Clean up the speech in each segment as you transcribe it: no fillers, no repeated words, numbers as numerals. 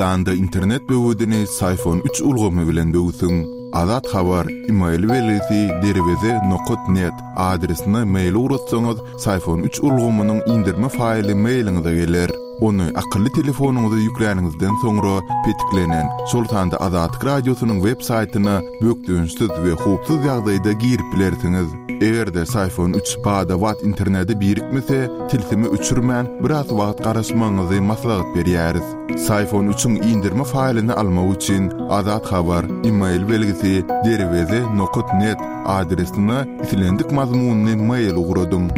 Türkmenistanda internet böwedini Syfon üç ulgamy bilen böwsüň. Azat Habar, email belgisi derweze nokat net adresine mail ugratsaňyz, Syfon üç ulgamynyň indirme faýly mailiňize geler. Ony akylly telefonyňyza ýükläniňizden soňra petiklenen, şol sanda Azatlyk Radiosynyň web saýtyna bökdençsiz we howpsuz ýagdaýda girip bilersiňiz. Eger-de Syfon üç bada-bat internete birikmese, tilsimi öçürmän, biraz wagt garaşmagyňyzy maslahat berýäris. Syfon üçiň indirme faýlyny almak üçin Azat Habar, email belgisi, derweze nokat net adresine islendik mazmunly mail ugradyň.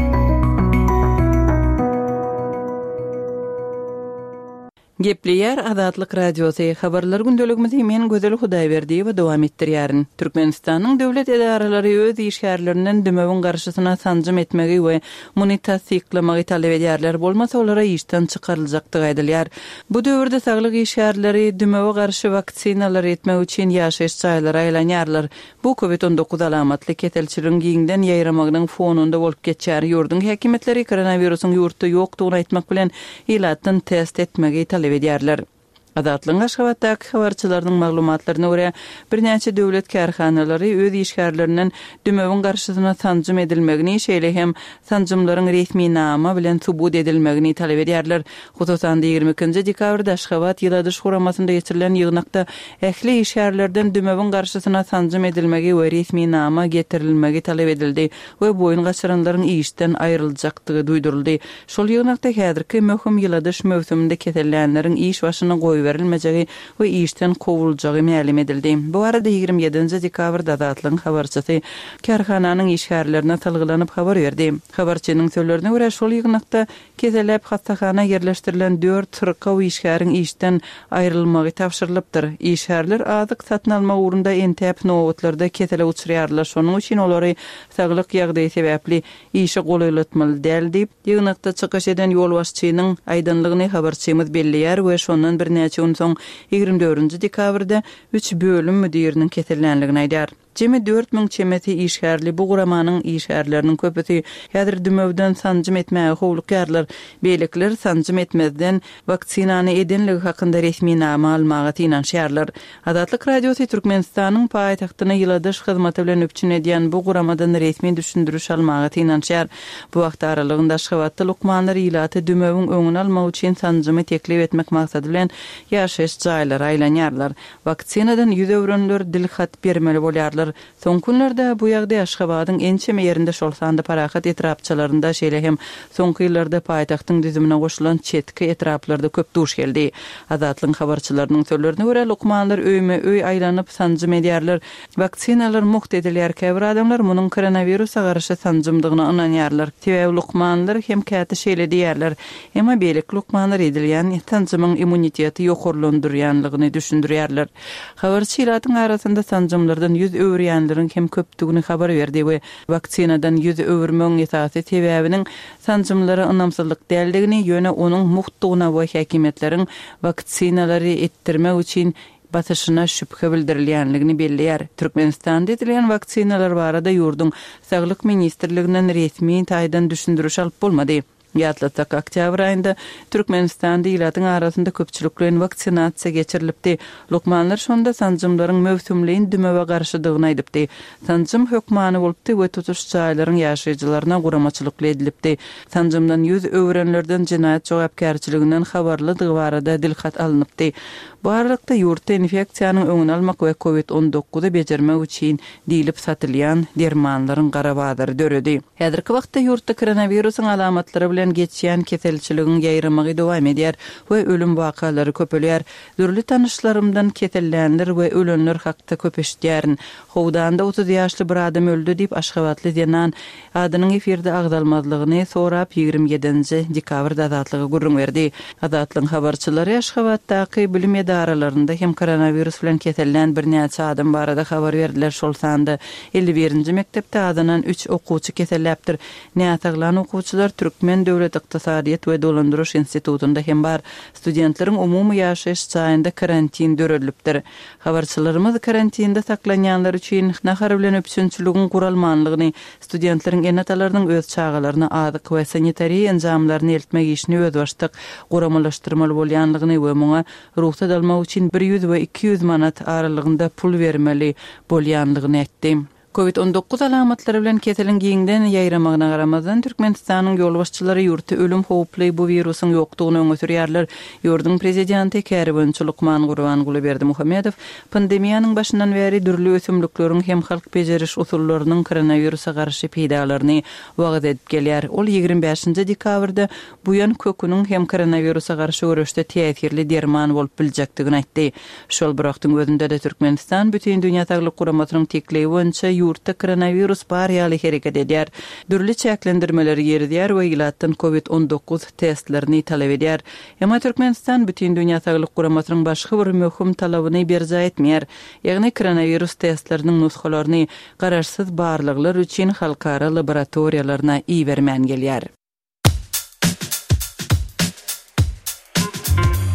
Gepleýär Azatlyk Radiosy, Habarlar gündeligimizi men Gözel Hudaýberdiýewa dowam etdirýärin. Türkmenistanyň döwlet edaralary öz işgärlerinden dümewiň garşysyna sanjym etmegi we muny tassyklamagy talap edýärler, bolmasa olara işden çykaryljakdygy aýdylýar. Bu döwürde saglyk işgärleri dümewe garşy waksinalary etmek üçin ýaşaýyş jaýlara aýlanýarlar. Bu Covid 19 alamatly keselçiligiň giňden ýaýramagynyň fonunda bolup geçýär. Ýurduň häkimiýetleri koronawirusyň ýurtda ýokdugyny aýtmak bilen, ilatdan test etmegi talap edýärler. Azatlygyň Aşgabatdaky habarçylarynyň maglumatlaryna görä, birnäçe döwlet kärhanalary öz işgärlerinden dümewiň garşysyna sanjym edilmegini, şeýle hem sanjymlaryň resminama bilen subut edilmegini talap edýärler. Hususan-da, 22-nji dekabrda Aşgabat ýyladyş guramasynda geçirilen ýygnakda ähli işgärlerden dümewiň garşysyna sanjym edilmegi we resminama getirilmegi talap edildi we boýun gaçyranlaryň işden aýryljakdygy duýduryldy. Şol ýygnakda häzirki möhüm ýyladyş möwsüminde kesellänleriň iş başyna goýberilmejegi we işden kowuljagy mälim edildi. Bu barada 27-nji dekabrda Azatlygyň habarçysy kärhananyň işgärlerine salgylanyp habar berdi. Habarçynyň sözlerine görä, şol ýygnakda Keselläp hassahana ýerleşdirilen dört syrkaw işgäriň işden aýrylmagy tabşyrylypdyr. Işgärler azyk satyn almak ugrunda entäp nobatlarda kesele uçraýarlar, şonuň üçin olary saglyk ýagdaýy sebäpli işe golaýlatmaly däl diýip, ýygnakda çykyş eden ýolbaşçynyň aýdanlygyny habarçymyz belleýär we şondan birnäçe gün soň, 24-nji dekabrda üç bölüm müdiriniň kesellänligini aýdýar. Jemi 4000 çemesi işgärli bu guramanyň işgärleriniň köpüsi häzir dümewden sanjym etmäge howlukýarlar. Beýlekiler sanjym etmezden, waksinany edenligi hakynda resminama almaga synanyşýarlar. Azatlyk Radiosy Türkmenistanyň paýtagtyny ýyladyş hyzmaty bilen üpjün edýän bu guramadan resmi düşündiriş almaga synanyşýar. Bu wagt aralygynda Aşgabatda lukmanlar ilaty dümewiň öňüni almak üçin sanjymy teklip etmek maksady bilen ýaşaýyş jaýlara aýlanýarlar. Waksinadan ýüz öwrenler dil hat bermeli bolýarlar. Soňky günlerde bu ýagdaý Aşgabadyň ençeme ýerinde, şol sanda Parahat etrapçalarynda, şeýle hem soňky ýyllarda paýtagtyň düzümine goşulan çetki etraplarda köp duş geldi. Azatlygyň habarçylarynyň sözlerine görä, lukmanlar öýme-öý aýlanyp, sanjym edýärler. Waksinalar mugt edilýär. Käbir adamlar munuň koronawirusa garşy sanjymdygyna ynanýarlar. Sebäbi lukmanlar hem käte şeýle diýýärler. Emma beýleki lukmanlar edilýän sanjymyň immuniteti ýokarlandyrýanlygyny düşündirýärler. Habarçy ilatyň arasynda sanjymlardan ýüz öwürýänleriň hem köpdügini habar berdi we waksinadan ýüz öwürmegiň esasy sebäbiniň sanjymlara ynamsyzlyk däldigini, ýöne onuň mugtdugyna we häkimiýetleriň waksinalary etdirmek üçin basyşyna şübhe bildirilýänligini belleýär. Türkmenistanda edilýän waksinalar barada ýurduň Saglyk ministrliginden resmi taýdan düşündiriş alyp bolmady. Ýatlatsak, oktýabr aýynda Türkmenistanda ilatyň arasynda köpçülikleýin waksinasiýa geçirilipdi. Lukmanlar şonda sanjymlaryň möwsümleýin dümewe garşydygyny aýdypdy. Sanjym hökmany bolupdy we tutuş jaýlaryň ýaşaýjylaryna guramaçylykly edilipdi. Sanjymdan ýüz öwürenlerden jenaýat jogapkärçiliginden habarlydygy barada dilhat alnypdy. Bu aralykda, ýurtda infeksiýanyň öňüni almak we covid 19-y bejermek üçin diýlip satylýan dermanlaryň gara bazary döredi. Häzirki wagtda ýurtda koronawirusyň alamatlary bilen geçýän keselçiligiň ýaýramagy dowam edýär we ölüm wakalary köpelýär. Dürli tanyşlarymdan kesellänler we ölenler hakda köp eşidýärin. Howdanda 30 ýaşly bir adam öldi diýip, aşgabatly zenan adynyň efirde agzalmazlygyny sorap, 27-nji dekabrda Azatlyga gürrüň berdi. Azatlygyň habarçylary Aşgabatdaky bilim edaralarynda hem koronawirus bilen kesellän birnäçe adam barada habar berdiler, şol sanda 51-nji mekdepde azyndan üç okuwçy keselläpdir. Näsaglan okuwçylar türkmen. döwlet ykdysadyýet we dolandyryş institutynda hem bar. Studentleriň umumy ýaşaýyş jaýynda karantin döredilipdir. Habarçylarymyz karantinde saklanýanlar üçin nahar bilen üpjünçiligiň guralmanlygyny, studentleriň ene-atalarynyň öz çagalaryna azyk we sanitariýa enjamlaryny eltmek işini özbaşdak guramalaşdyrmaly bolýanlygyny we muňa rugsat almak üçin 100 we 200 manat aralygynda pul bermeli bolýanlygyny aýtdy. Covid 19 alamatlary bilen keseliň giňden ýaýramagyna garamazdan, Türkmenistanyň ýolbaşçylary ýurtda ölüm howply bu wirusyň ýokdugyny öňe sürýärler. Ýurduň prezidenti, käriboýunça lukman Gurbanguly Berdimuhamedow pandemiýanyň başyndan bäri dürli ösümlikleriň hem halk bejeriş usullarynyň koronawirusa garşy peýdalaryny wagyz edip gelýär. Ol 25 dekabrda buýan köküniň hem koronawirusa garşy göreşde täsirli derman bolup biljekdigini aýtdy. Şol bir wagtyň özünde-de Türkmenistan Bütindünýä Saglyk Guramasynyň teklibi boýunça ýurtda koronawirus bar ýaly hereket edýär, dürli çäklendirmeleri girizýär we ilatdan covid 19 testlerini talap edýär. Emma Türkmenistan Bütindünýä Saglyk Guramasynyň başga bir möhüm talabyny berjaý etmeýär, ýagny koronawirus testleriniň nusgalaryny garaşsyz barlaglar üçin halkara laboratoriýalaryna ibermän gelýär.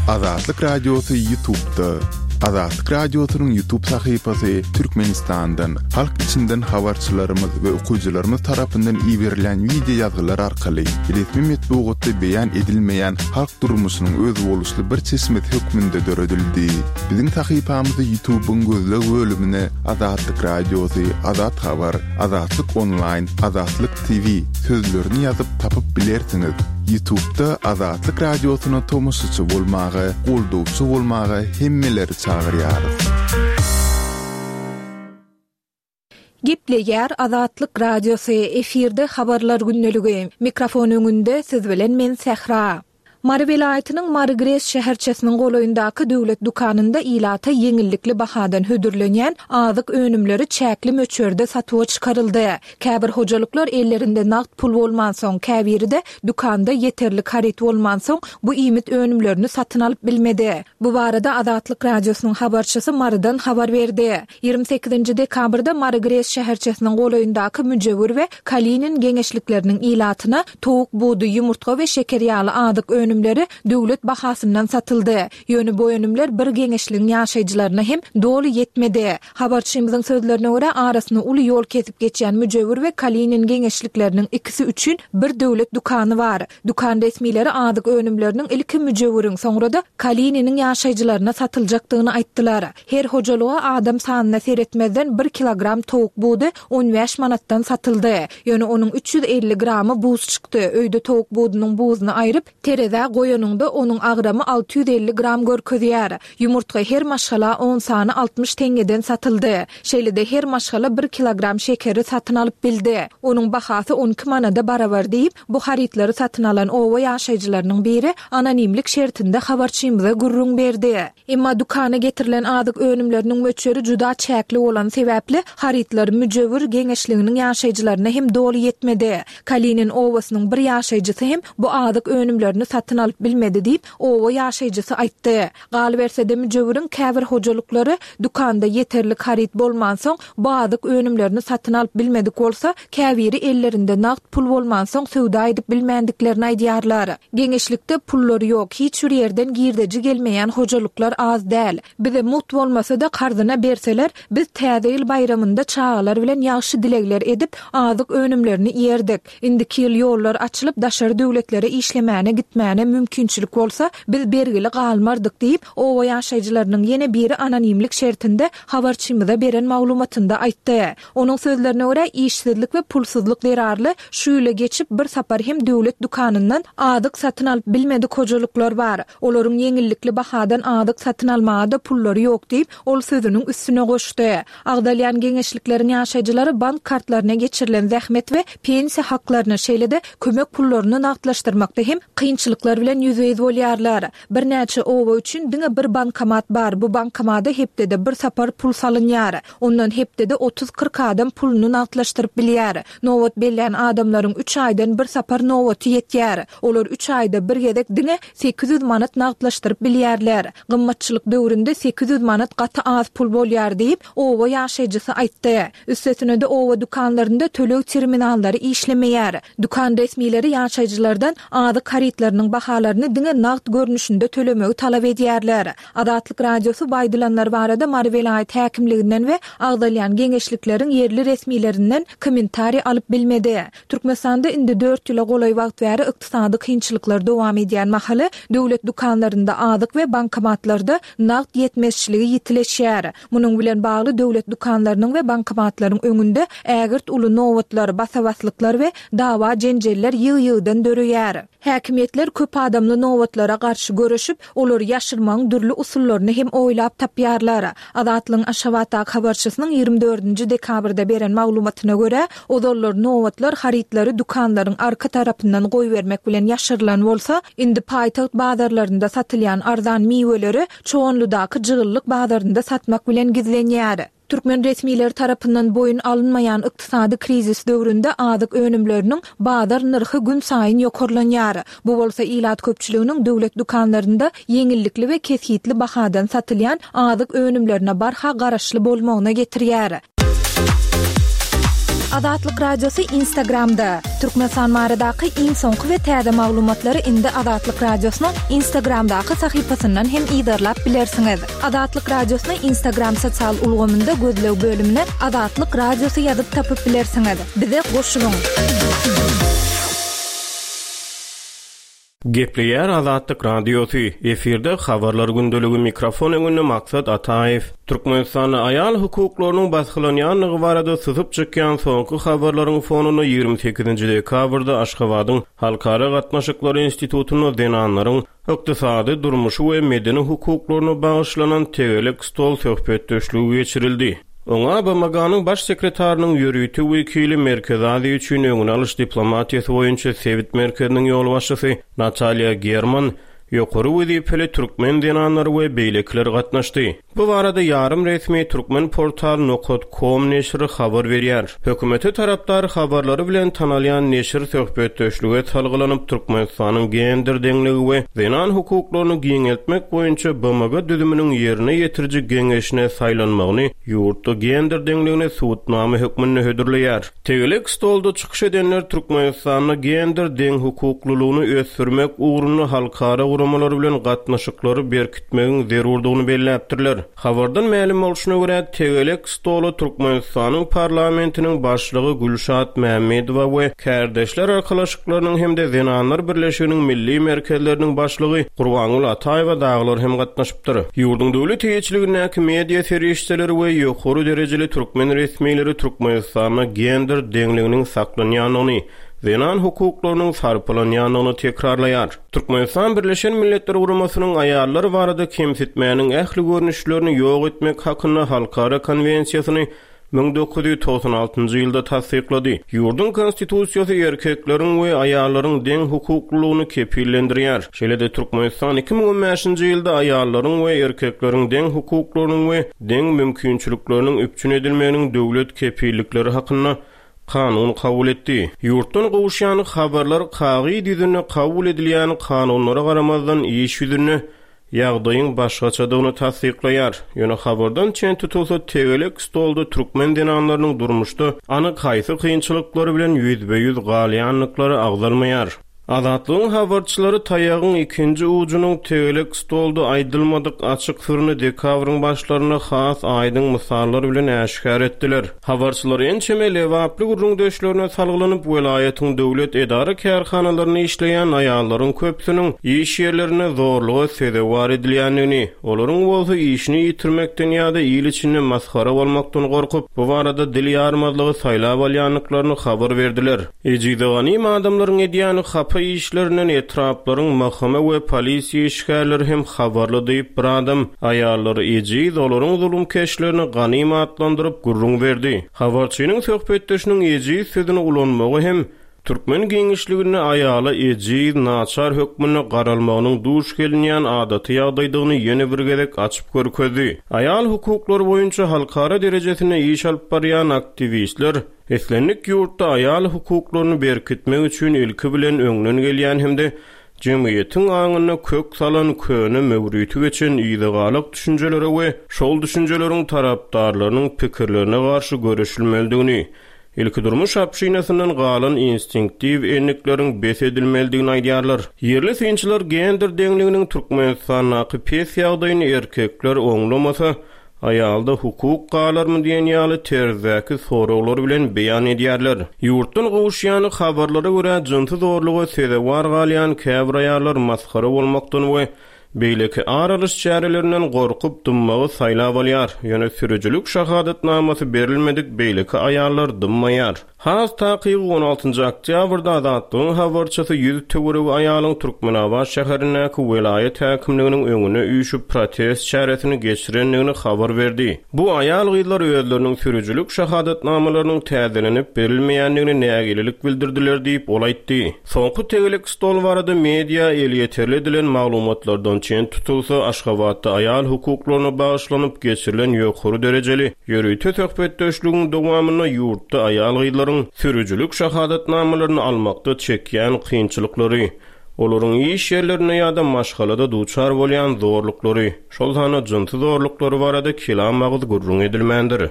Azatlyk Radiosy YouTube'da. Azatlyk Radiosynyň YouTube sahypasy Türkmenistandan, halk içinden habarçylarymyz we okyjylarymyz tarapyndan iberilen wideo ýazgylar arkaly resmi metbugatda beýan edilmeýän halk durmuşynyň özboluşly bir çeşmesi hökmünde döredildi. Biziň sahypamyzy YouTube'yň gözleg bölümine Azatlyk Radiosy, Azat Habar, Azatlyk Onlaýn, Azatlyk TV sözlerini ýazyp tapyp bilersiňiz. Ýutubda Azatlyk Radiosyna tomaşaçy bolmaga, goldawçy bolmaga hemmeleri çagyrýarys. Gepleýär Azatlyk Radiosy, efirde Habarlar gündeligi. Mikrofon öňünde siz bilen men Sähra. Mary welaýatynyň Mary GRES şäherçesiniň golaýyndaky döwlet dükanynda ilata ýeňillikli bahadan hödürlenýän azyk önümleri çäkli möçberde satuwa çykaryldy. Käbir hojalyklar ellerinde nagt pul bolmansoň, käbiri-de dükanda ýeterlik haryt bolmansoň, bu iýmit önümlerini satyn alyp bilmedi. Bu barada Azatlyk Radiosynyň habarçysy Marydan habar berdi. 28-nji dekabrda Mary GRES şäherçesiniň golaýyndaky Müjewür we Kalinin geňeşlikleriniň ilatyna towuk budy, ýumurtga we şeker ýaly azyk önümleri döwlet bahasyndan satyldy. Ýöne bu önümler bir geňeşligiň ýaşaýjylaryna hem doly ýetmedi. Habarçymyzyň sözlerine görä, arasyny uly ýol kesip geçýän Müjewür we Kalinin geňeşlikleriniň ikisi üçin bir döwlet dükany bar. Dükan resmileri azyk önümleriniň ilki Müjewüriň, soňra-da Kalininiň ýaşaýjylaryna satyljakdygyny aýtdylar. Her hojalyga adam sanyna seretmezden bir kilogram towuk budy 15 manatdan satyldy. Ýöne onuň 350 gramy buz çykdy. Öýde towuk budunyň buzuny aýryp, terezä goýanyňda onuň agramy 650 gram görkezýär. Ýumurtga her maşgala on sany 60 teňňeden satyldy. Şeýle-de her maşgala bir kilogram şekeri satyn alyp bildi. Onuň bahasy 12 manada barabar diýip, bu harytlary satyn alan oba ýaşaýjylarynyň biri anonimlik şertinde habarçymyza gürrüň berdi. Emma dükana getirilen azyk önümleriniň möçberi juda çäkli bolany sebäpli, harytlar Müjewür geňeşliginiň ýaşaýjylaryna hem doly ýetmedi. Kalinin obasynyň bir ýaşaýjysy hem bu azyk önümlerini satyn alyp bilmedi diýip, oba ýaşaýjysy aýtdy. Galyberse-de, Müjewüriň käbir hojalyklary dükanda ýeterlik haryt bolmansoň, bu azyk önümlerini satyn alyp bilmedik bolsa, käbiri ellerinde nagt pul bolmansoň söwda edip bilmändiklerini aýdýarlar. Geňeşlikde pullary ýok, hiç bir ýerden girdeji gelmeýän hojalyklar az däl. Bize mugt bolmasa-da karzyna berseler, biz Täze ýyl baýramynda çagalar bilen ýagşy dilegler edip, azyk önümlerini iýerdik. Indiki ýyl ýollar açylyp, daşary döwletlere işlemäne gitmäne mümkinçilik bolsa, biz bergili galmardyk diýip, oba ýaşaýjylarynyň ýene biri anonimlik şertinde habarçymyza beren maglumatynda aýtdy. Onuň sözlerine görä, işsizlik we pulsuzlyk zerarly şu ýyla geçip bir sapar hem döwlet dükanyndan azyk satyn alyp bilmedik hojalyklar bar. Olaryň ýeňillikli bahadan azyk satyn almaga-da pullary ýok diýip, ol sözüniň üstüne goşdy. Agzalýan geňeşlikleriň ýaşaýjylary bank kartlaryna geçirilen zähmet we pensiýa haklaryny, şeýle-de kömek pullaryny nagtlaşdyrmakda hem kynçylyklar. kynçylyklar bilen ýüzbe-ýüz bolýarlar. Birnäçe oba üçin diňe bir bankomat bar, bu bankomada hepdede bir sapar pul salynýar. Ondan hepdede otuz-kyrk adam puluny nagtlaşdyryp bilýär. Nobat bellän adamlaryň üç aýdan bir sapar nobaty ýetýär. Olar üç aýda bir gezek diňe 800 manat nagtlaşdyryp bilýärler. Gymmatçylyk döwründe 800 manat gaty az pul bolýar diýip, oba ýaşaýjysy aýtdy. Üstesine-de oba dükanlarynda töleg terminallary işlemeýär. Dükan resmileri ýaşaýjylardan azyk harytlarynyň bahalaryny diňe nagt görnüşinde tölemegi talap edýärler. Azatlyk Radiosy bu aýdylanlar barada Mary welaýat häkimliginden we agzalýan geňeşlikleriň ýerli resmilerinden kommentariý alyp bilmedi. Türkmenistanda indi dört ýyla golaý wagt bäri ykdysady kynçylyklar dowam edýän mahaly, döwlet dükanlarynda azyk we bankomatlarda nagt ýetmezçiligi ýitileşýär. Munuň bilen bagly döwlet dükanlarynyň we bankomatlaryň öňünde ägirt uly nobatlar, basa-baslyklar we dawa-jenjeller ýygy-ýygydan döreýär. Häkimiýetler köp adamly nobatlara garşy göreşip, olary ýaşyrmagyň dürli usullaryny hem oýlap tapýarlar. Azatlygyň Aşgabatdaky habarçysynyň 24-nji dekabrda beren maglumatyna görä, ozallar nobatlar harytlary dükanlaryň arka tarapyndan goýbermek bilen ýaşyrylan bolsa, indi paýtagt bazarlarynda satylýan arzan miweleri Çoganlydaky jygyllyk bazarynda satmak bilen gizlenýär. Türkmen resmileri tarapyndan boýun alynmaýan ykdysady krizis döwründe azyk önümleriniň bazar nyrhy günsaýyn ýokarlanýar. Bu bolsa ilat köpçüliginiň döwlet dükanlarynda ýeňillikli we kesgitli bahadan satylýan azyk önümlerine barha garaşly bolmagyna getirýär. Azatlyk Radiosy Instagramda, Türkmenistan baradaky iň soňky we täze maglumatlary indi Azatlyk Radiosynyň Instagramdaky sahypasyndan hem yzarlap bilersiňiz. Azatlyk Radiosyny Instagram sosial ulgamynda gözleg bölümine Azatlyk Radiosy ýazyp tapyp bilersiňiz. Bize goşulyň! Gepleýär Azatlyk Radiosy, efirde Habarlar gündeligi mikrofon öňünde Maksat Ataýew. Türkmenistanda aýal hukuklarynyň basgylanýandygy barada syzyp çykýan soňky habarlaryň fonunda 28-nji dekabrda Aşgabadyň Halkara gatnaşyklary institutynda zenanlaryň ykdysady, durmuşy we medeni hukuklaryna bagyşlanan tegelek stol söhbetdeşligi geçirildi. Oňa BMG-niň Baş sekretarynyň ýörite wekili, Merkezi Aziýa üçin öňüni alyş diplomatiýasy boýunça sebit merkeziniň ýolbaşçysy Natalýa German, ýokary wezipeli türkmen zenanlary we beýlekiler gatnaşdy. Bu barada ýarym resmi Turkmenportal nokat kom neşiri habar berýär. Hökümete tarapdar habarlary bilen tanalýan neşir söhbetdeşlige salgylanyp, Türkmenistanyň gender deňligi we zenan hukuklaryny giňeltmek boýunça BMG düzüminiň ýerine ýetiriji geňeşine saýlanmagyny ýurtda gender deňligine subutnama hökmünde hödürleýär. Tegelek stolda çykyş edenler Türkmenistanda gender deňhukuklylygyny ösdürmek ugrunda halkara guramalar bilen gatnaşyklary berkitmegiň zerurdygyny belläpdirler. Habardan mälim bolşuna görä, tegelek stola Türkmenistanyň parlamentiniň başlygy Gülşat Mämmedowa we Kärdeşler arkalaşyklarynyň hem-de Zenanlar birleşiginiň milli merkezleriniň başlygy Gurbangül Ataýewa dagylar hem gatnaşypdyr. Ýurduň döwlet eýeçiligindäki media serişdeleri we ýokary derejeli türkmen resmileri Türkmenistanda gender deňliginiň saklanýandygyny, zenan hukuklarynyň sarpalanýandygyny tekrarlaýar. Türkmenistan Birleşen Milletler Guramasynyň Aýallar barada kemsitmäniň ähli görnüşlerini ýok etmek hakynda halkara konwensiýasyny 1996 ýylda tassyklady. Ýurduň Konstitusiýasy erkekleriň we aýallaryň deň hukuklylygyny kepillendirýär. Şeýle-de Türkmenistan 2015-nji ýylda aýallaryň we erkekleriň deň hukuklarynyň we deň mümkinçilikleriniň üpjün edilmeginiň döwlet kepillikleri hakynda kanun kabul etdi. Ýurtdan gowuşýan habarlar kagyz ýüzünde kabul edilýän kanunlara garamazdan iş ýüzünde ýagdaýyň başgaçadygyny tassyklaýar. Ýöne habardan çen tutulsa tegelek stolda türkmen zenanlarynyň durmuşda anyk haýsy kynçylyklar bilen ýüzbe-ýüz galýandyklary agzalmaýar. Azatlygyň habarçylary taýagyň ikinji ujunyň tegelek stolda aýdylmadyk açyk syryny dekabryň başlarynda has aýdyň mysallar bilen äşgär etdiler. Habarçylar ençeme lebaply gürrüňdeşlerine salgylanyp, welaýatyň döwlet edara-kärhanalarynda işleýän aýallaryň köpüsiniň iş ýerlerinde zorluga sezewar edilýändigini, olaryň bolsa işini ýitirmekden ýa-da il içinde masgara bolmakdan gorkup, bu barada dil ýarmazlygy saýlap alýandyklaryny habar berdiler. Ejize ganym adamlaryň edýän hapa işlerinden etraplaryň MHM we polisiýa işgärleri hem habarly diýip bir adam aýallary ejiz, olaryň zulumkeşlerini ganym atlandyryp gürrüň berdi. Habarçynyň söhbetdeşiniň ejiz sözüni ulanmagy hem. Türkmen giňişliginde aýala ejiz, naçar hökmünde garalmagynyň duş gelinýän adaty ýagdaýdygyny ýene bir gezek açyp görkezdi. Aýal hukuklary boýunça halkara derejesinde iş alyp barýan aktiwistler islendik ýurtda aýal hukuklaryny berkitmek üçin ilki bilen öňden gelýän hem-de jemgyýetiň aňynda kök salan köne möwriti geçen yzagalak düşünjelere we şol düşünjeleriň tarapdarlarynyň pikirlerine garşy göreşilmelidigini, ilkidurmuş obşinasyndan galan instinktiw endikleriň bes edilmelidigini aýdýarlar. Ýerli synçylar gender deňliginiň Türkmenistandaky pes ýagdaýyny erkekler oňlamasa, aýalda hukuk galarmy diýen ýaly terzdäki soraglar bilen beýan edýärler. Ýurtdan gowuşýan habarlara görä, jynsy zorluga sezewar galýan käbir aýallar masgara bolmakdan we beýleki ar alyş çärelerinden gorkup dymmagy saýlap alýar, ýöne sürüjilik şahadatnamasy berilmedik beýleki aýallar dymmaýar. Has takygy, on altynjy oktýabrda Azatlygyň habarçysy ýüz töweregi aýalyň Türkmenabat şäherindäki welaýat häkimliginiň öňüne üýşüp protest çäresini geçirendigini habar berdi. Bu aýal-gyzlar özleriniň sürüjilik şahadatnamalarynyň täzelenip berilmeýändigine nägilelik bildirdiler diýip, ol aýtdy. Soňky tegelek stol barada media elýeterli edilen maglumatlardan çen tutulsa, Aşgabatda aýal hukuklaryna bagyşlanyp geçirilen ýokary derejeli ýörite söhbetdeşligiň dowamynda ýurtda aýal-gyzlaryň sürüjilik şahadatnamalaryny almakda çekýän kynçylyklary, olaryň iş ýerlerinde ýa-da maşgalada duçar bolýan zorluklary, şol sanda jynsy zorluklary barada kelam agyz gürrüň edilmändir.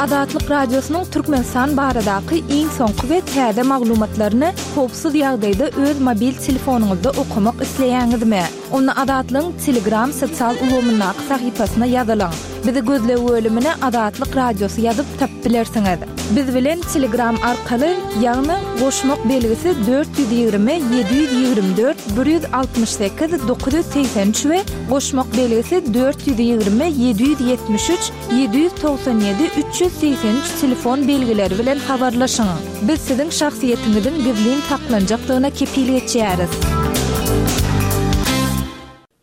Azatlyk Radiosynyň Türkmenistan baradaky iň soňky we täze maglumatlaryny howpsuz ýagdaýda öz mobil telefonyňyzda okamak isleýäňizmi? Onda Azatlygyň Telegram sosial ulgamyndaky sahypasyna ýazylyň. Bizi gözleg bölümine Azatlyk Radiosy ýazyp tapyp bilersiňiz. Biz bilen Telegram arkaly, ýagny goşmak belgisi 420 724 168 983 we goşmak belgisi 420 773 797 383 telefon belgileri bilen habarlaşyň. Biz siziň şahsyýetiňiziň gizlin saklanjakdygyna kepil geçýäris.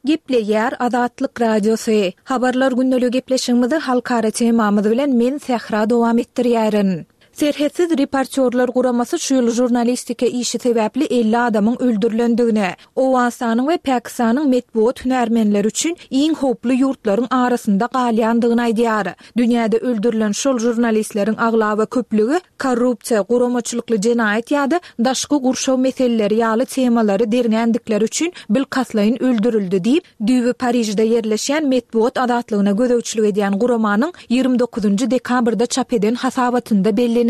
Gepleýär Azatlyk Radiosy. Habarlar gündeligi gepleşigimizi halkara temamyz bilen men Sähra dowam etdirýärin. Serhetsiz reportýorlar guramasy şu ýyl žurnalistika işi sebäpli 50 adamyň öldürilendigini, Owganystanyň we Pakistanyň metbugat hünärmenleri üçin iň howply ýurtlaryň arasynda galýandygyny aýdýar. Dünýäde öldürilen şol žurnalistleriň aglaba köplügi korrupsiýa, guramaçylykly jenaýat ýa-da daşky gurşaw meseleleri ýaly temalary derňändikleri üçin bilkastlaýyn öldürildi diýip, düýbi Parižde ýerleşýän metbugat azatlygyna gözegçilik edýän guramanyň 29 dekabrda çap eden hasabatynda bellenilýär.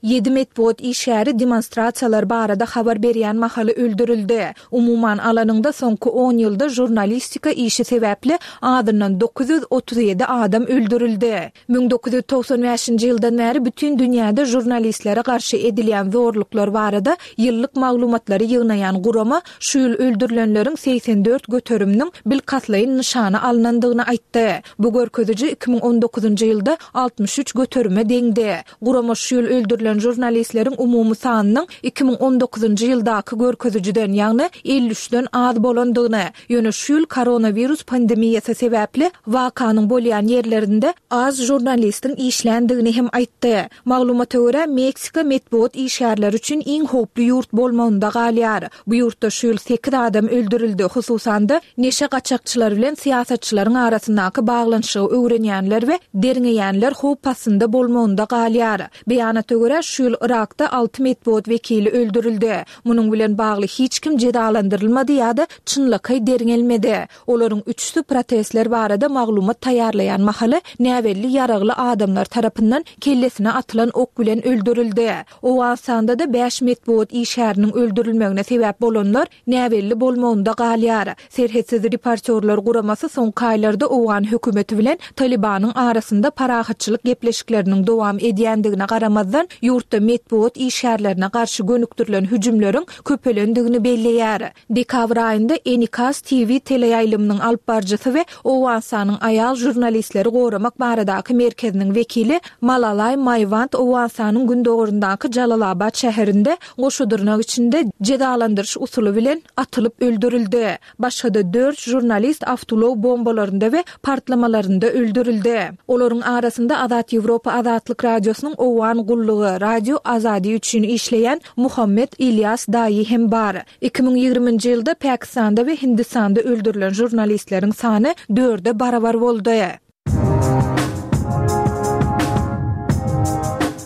Ýedi metbugat işgäri demonstrasiýalar barada habar berýän mahaly öldürildi. Umuman alanyňda, soňky on ýylda žurnalistika işi sebäpli azyndan 937 adam öldürildi. 1995-nji ýyldan bäri bütin dünýäde žurnalistlere garşy edilýän zorluklar barada ýyllyk maglumatlary ýygnaýan gurama şu ýyl öldürilenleriň 84 göteriminiň bilkastlaýyn nyşana alnandygyny aýtdy. Bu görkeziji 2019-njy ýylda 63 göterime deňdi. Gurama şu ýyl öldürilen žurnalistleriň umumy sanynyň 2019-njy ýyldaky görkezijiden, ýagny 53-den az bolandygyny, ýöne şu ýyl koronawirus pandemiýasy sebäpli wakanyň bolýan ýerlerinde az žurnalistiň işländigini hem aýtdy. Maglumata görä, Meksika metbugat işgärleri üçin iň howply ýurt bolmagynda galýar. Bu ýurtda şu ýyl sekiz adam öldürildi, hususan-da, neşe gaçakçylary bilen syýasatçylaryň arasyndaky baglanyşygy öwrenýänler we derňeýänler howp astynda bolmagynda galýar. Beýanata görä, şu ýyl Yrakda alty metbugat wekili öldürildi. Munuň bilen bagly hiç kim jezalandyrylmady ýa-da çynlakaý derňelmedi. Olaryň üçüsi protestler barada maglumat taýýarlaýan mahaly näbelli ýaragly adamlar tarapyndan kellesine atylan ok bilen öldürildi. Owganystanda-da bäş metbugat işgäriniň öldürilmegine sebäp bolanlar näbelli bolmagynda galýar. Serhetsiz reportýorlar guramasy soňky aýlarda owgan hökümeti bilen Talybanyň arasynda parahatçylyk gepleşikleriniň dowam edýändigine garamazdan, ýurtda metbugat işgärlerine garşy gönükdirilen hüjümleriň köpelendigini belleýär. Dekabr aýynda Enikas TV teleýaýlymynyň alypbaryjysy we Owganystanyň aýal žurnalistleri goramak baradaky merkeziniň wekili Malalaý Maýwand Owganystanyň gündogaryndaky Jalalabat şäherinde goşa dyrnak içinde jezalandyryş usuly bilen atylyp öldürildi. Başga-da dört žurnalist awtoulag bombalarynda we partlamalarynda öldürildi. Olaryň arasynda Azat Ýewropa Azatlyk Radiosynyň Owgan. Owgan gullugy, Radio Azadi üçin işleýän Muhammet Ilýas Daýy hem bar. 2020-nji ýylda Pakistanda we Hindistanda öldürilen žurnalistleriň sany dörde barabar boldy.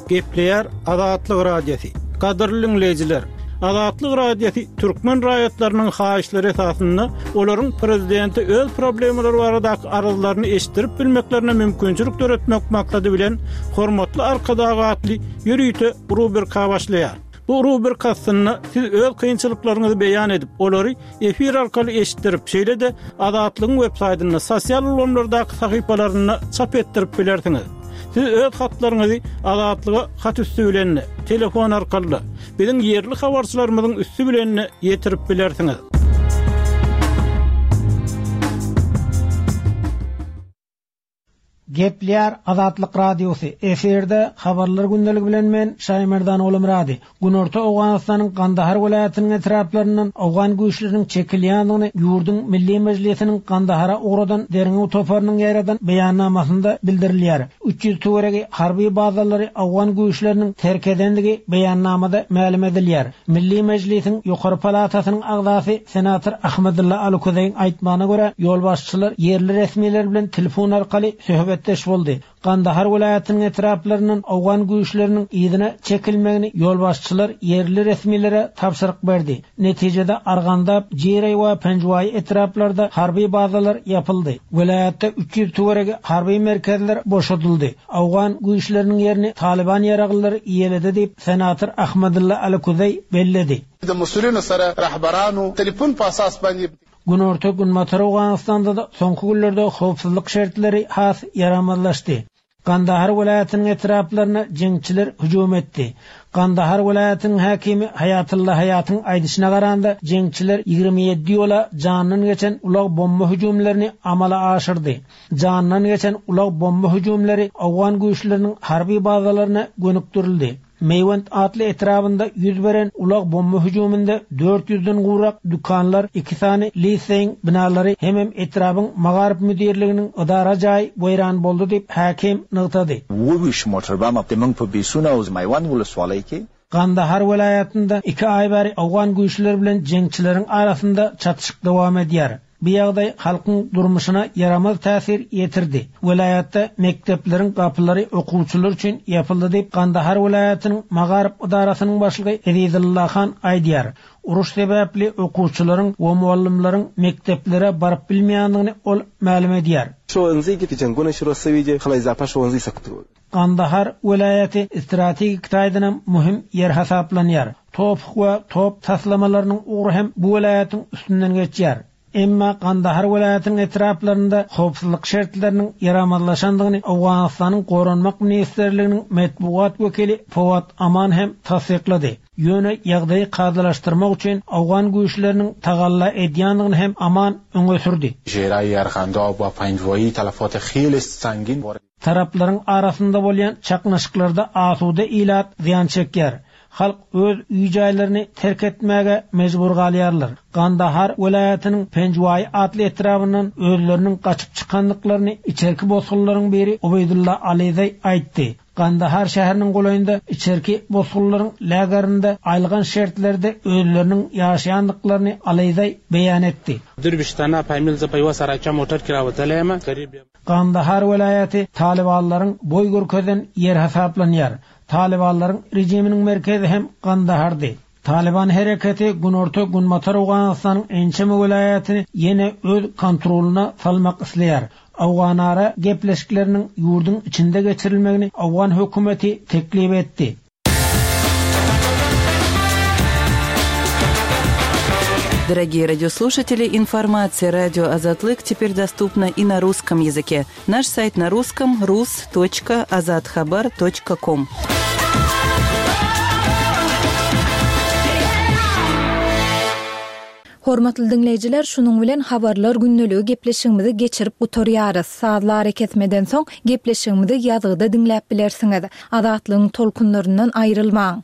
Gepleýär Azatlyk Radiosy. Gadyrly diňleýjiler, Azatlyk Radiosy türkmen raýatlarynyň haýyşlary esasynda olaryň prezidente öz problemalary baradaky arzlaryny eşitdirip bilmeklerine mümkinçilik döretmek maksady bilen Hormatly Arkadag atly ýörite rubrika başlaýar. Bu rubrika astynda siz öz kynçylyklaryňyzy beýan edip, olary efir arkaly eşitdirip, şeýle-de Azatlygyň websaýtynda, sosial ulgamlardaky sahypalarynda çap etdirip bilersiňiz. Siz öz hatlaryňyzy Azatlyga hat üsti bilen-de, telefon arkaly-da, biziň ýerli habarçylarymyzyň üsti bilen-de ýetirip bilersiňiz. Gepleýär Azatlyk Radiosy, efirde Habarlar gündeligi bilen men Şaýmerdan Ogulmyrady. Günorta Owganystanyň Gandahar welaýatynyň etraplaryndan owgan güýçleriniň çekilýändigini ýurduň Milli Mejlisiniň Gandahara ugradan derňew toparynyň ýaýradan beýannamasynda bildirilýär. 300 töweregi harby bazalary owgan güýçleriniň terk edendigi beýannamada mälim edilýär. Milli Mejlisiň ýokary palatasynyň agzasy senator Ahmedulla Alukozeýiň aýtmagyna görä, ýolbaşçylar ýerli resmiler bilen telefon arkaly söhbetdeş boldy. Gandahar welaýatynyň etraplaryndan owgan güýçleriniň yzyna çekilmegini ýolbaşçylar ýerli resmilere tabşyryk berdi. Netijede Argandab, Jireý we Penjwaý etraplarda harby bazalar ýapyldy. Welaýatda 300 töweregi harby merkezler boşadyldy. Owgan güýçleriniň ýerini Talyban ýaraglylary eýeledi diýip, senator Ahmadulla Alikuzeý belledi. د مسؤلینو سره رهبرانو تلیفون په اساس باندې. Günorta-Günbatar Owganystanda-da soňky günlerde howpsuzlyk şertleri has ýaramazlaşdy. Gandahar welaýatynyň etraplaryna jeňçiler hüjüm etdi. Gandahar welaýatynyň häkimi Haýatylla Haýatyň aýdyşyna garanda, jeňçiler 27 ýola jandan geçen ulag bomba hüjümlerini amala aşyrdy. Jandan geçen ulag bomba hüjümleri owgan güýçleriniň harby bazalaryna gönükdirildi. Meýwent atly etrabynda ýüz beren ulag bomba hüjüminde dört ýüzden gowrak dükanlar, iki sany liseýiň binalary hemem etrabyň magaryf müdirliginiň edara jaýy weýran boldy diýip, häkim nygtady. 27 موټر بم د موږ په بیسونه او میوند ولسوالۍ کې Gandahar welaýatynda iki aý bäri owgan güýçleri bilen jeňçileriň arasynda çatyşyk dowam edýär. Bu ýagdaý halkyň durmuşyna ýaramaz täsir ýetirdi. Welaýatda mekdepleriň gapylary okuwçylar üçin ýapyldy diýip, Gandahar welaýatynyň magaryf edarasynyň başlygy Ezizulla Han aýdýar. Uruş sebäpli okuwçylaryň we mugallymlaryň mekdeplere baryp bilmeýändigini ol mälim edýär. Gandahar welaýaty strategik taýdanam möhüm ýer hasaplanýar. TOPH we top taslamalarynyň ugry hem bu welaýatyň üstünden geçýär. Emma Gandahar welaýatynyň etraplarynda howpsuzlyk şertleriniň ýaramazlaşandygyny Owganystanyň Goranmak ministrliginiň metbugat wekili Fawad Aman hem tassyklady. Ýöne ýagdaýy kadalaşdyrmak üçin owgan güýçleriniň tagalla edýändigini hem Aman öňe sürdi. Taraplaryň arasynda bolýan çaknyşyklarda asuda ilat zyýan çekýär. Halk öz öý-jaýlaryny terk etmäge mejbur galýarlar. Gandahar welaýatynyň Penjwaý atly etrabyndan özleriniň gaçyp çykandyklaryny içerki bosgunlaryň biri Ubeýdulla Alizeý aýtdy. Gandahar şäheriniň golaýynda içerki bosgunlaryň lagerinde aýylganç şertlerde özleriniň ýaşaýandyklaryny Alizeý beýan etdi. Gandahar welaýaty talybanlaryň boý görkezen ýeri hasaplanýar. Talybanlaryň režiminiň merkezi hem Gandahardy. Talyban hereketi günorta-günbatar Owganystanyň ençeme welaýatyny ýene öz kontrolyna salmak isleýär. Owganara gepleşikleriniň ýurduň içinde geçirilmegini owgan hökümeti teklip etdi. Дорогие радиослушатели, информация радио Азатлык теперь доступна и на русском языке. Наш сайт на русском rus.azathabar.com. Hormatly diňleýjiler, şunuň bilen Habarlar gündeligi gepleşigimizi geçirip gutarýarys. Sazly arakesmeden soň gepleşigimizi ýazgyda diňläp bilersiňiz. Azatlygyň tolkunlaryndan aýrylmaň!